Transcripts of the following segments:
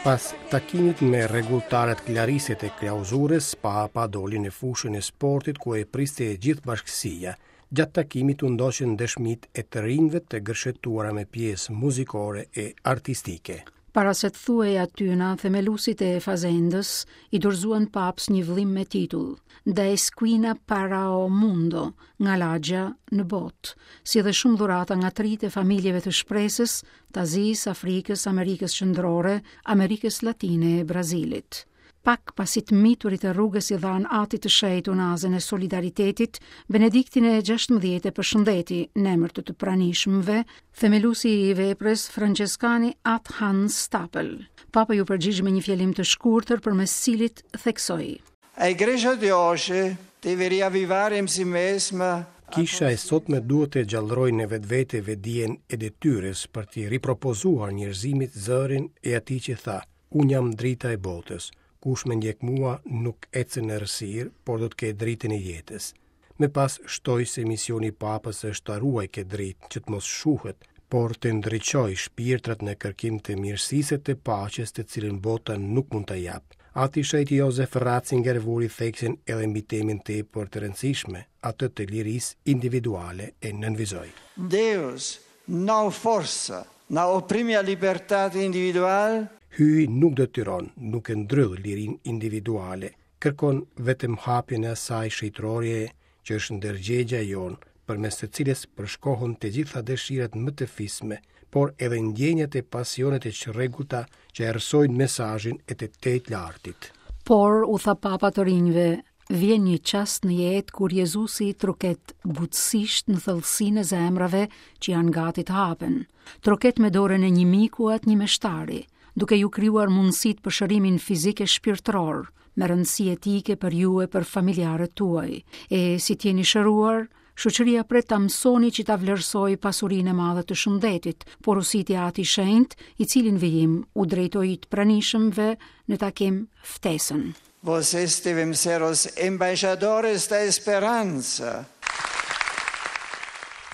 Pas takimit me rregulltarët Klariset e Klauzurës, Papa doli në fushën e sportit ku e priste e gjithë bashkësia. Gjatë takimit u ndoqën dëshmitë e të rinjve të gërshetuara me pjesë muzikore e artistike. Para se të thuhej atyna, themeluesit e Fazendës i dorëzuan Papës një vëllim me titull Da Esquina para o Mundo, nga lagja në botë, si dhe shumë dhurata nga të rinjtë e familjeve të shpresës, të Azisë, Afrikës, Amerikës Qendrore, Amerikës Latine e Brazilit. Pak pasi të miturit e rrugës i dhanë Atit të Shenjtë unazën e solidaritetit, Benediktin e 16 e përshëndeti në emër të të pranishmëve, themeluesi i veprës Françeskani At Hans Stapel. Papa iu përgjigj me një fjalim të shkurtër përmes të cilit theksoi. A Igreja de hoje deve riavvivare in se mesma Kisha e sotme duhet të gjallërojë në vetvete vetëdijen e detyrës për t'i ripropozuar njerëzimit zërin e atij që tha, Unë jam drita e botës. Kush më ndjek mua nuk ecën në errësirë, por do të ketë dritën e jetës. Më pas shtoi se misioni i Papës është ta ruajë këtë dritë që të mos shuhet, por të ndriçojë shpirtrat në kërkim të mirësisë e të paqes të cilën bota nuk mund ta japë. Ati i Shenjtë Jozef Ratzinger vuri theksin edhe mbi temën tepër të rëndësishme, atë të lirisë individuale e nënvizoi. Deus não força, não oprime a liberdade individual. Hyji nuk detyron, nuk e ndrydh lirinë individuale, kërkon vetëm hapjen e asaj shenjtëroreje që është ndërgjegja jonë, përmes së cilës përshkohen të gjitha dëshirat më të fisme, por edhe ndjenjat e pasionet e çrregullta që errësojnë mesazhin e të Tejtlartit. Por, u tha Papa të rinjve, Vjen një çast në jetë kur Jezusi troket butësisht në thellësinë e zemrave që janë gati të hapen. Troket me dorën e një miku a të një meshtari, duke ju krijuar mundësitë për shërimin fizik e shpirtëror, me rëndësi etike për ju e për familjarët tuaj. E si të jeni shëruar, Shoqëria pret ta mësoni që ta vlerësojë pasurinë e madhe të shëndetit, porositi Ati i Shenjtë, i cili në vijim u drejtoi të pranishëmve në takim ftesën. Vocês devem ser os embaixadores da esperança.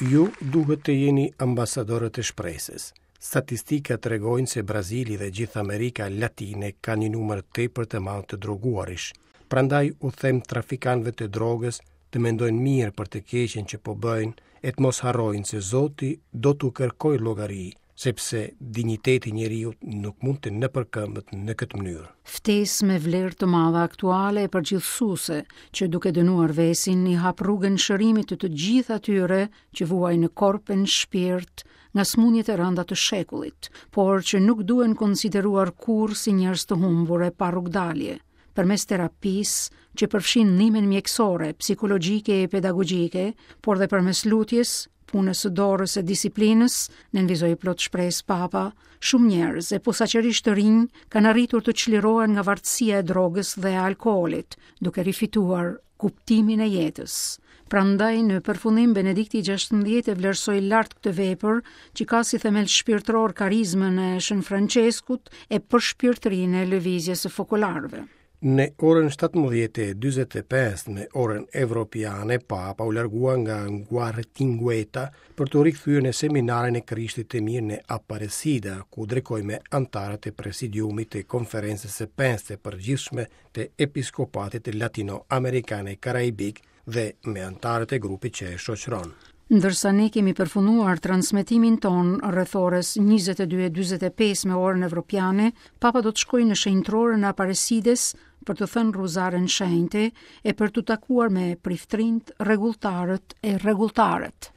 Ju duhet të jeni ambasadorët e shpresës. Statistikat tregojnë se Brazili dhe gjithë Amerika Latine kanë një numër tepër të madh të droguarish. Prandaj u them trafikantëve të drogës të mendojnë mirë për të keqen që po bëjnë e të mos harrojnë se Zoti do t'u kërkojë llogari, sepse dinjiteti i njeriut nuk mund të nëpërkëmbet në këtë mënyrë. Ftesë me vlerë të madhe aktuale e përgjithësuese, që duke dënuar vesin i hap rrugën shërimit të të gjithë atyre që vuajnë në korp e në shpirt nga sëmundjet e rënda të shekullit, por që nuk duhen konsideruar kurrë si njerëz të humbur e pa rrugëdalje. Përmes terapisë, që përfshin ndihmën mjekësore, psikologjike e pedagogjike, por dhe përmes lutjes, punës së dorës e disiplinës, nënvizoi plot shpresë Papa, shumë njerëz e posaçërisht të rinj kanë arritur të çlirohen nga vartësia e drogës dhe e alkoolit, duke rifituar kuptimin e jetës. Prandaj në përfundim Benedikti XVI e vlerësoi lart këtë vepër që ka si themel shpirtëror karizmën e Shën Françeskut e përshpirtërinë e lëvizjes së fokolarëve. Në orën 17:45 me orën evropiane, Papa u largua nga Guaratinguetá për t'u rikthyer në seminarin e Krishtit të Mirë në Aparecida, ku drekoi me anëtarët e presidiumit të Konferencës së Pestë të Përgjithshme të Episkopatit Latino-Amerikan e Karaibik dhe me anëtarët e grupit që e shoqëron. Ndërsa ne kemi përfunduar transmetimin tonë rreth orës 22:45 me orën evropiane, Papa do të shkojë në shenjtëroren e Aparecides për të thënë rruzaren shenjte e për t'u takuar me priftërinjtë, rregulltarët e rregulltaret.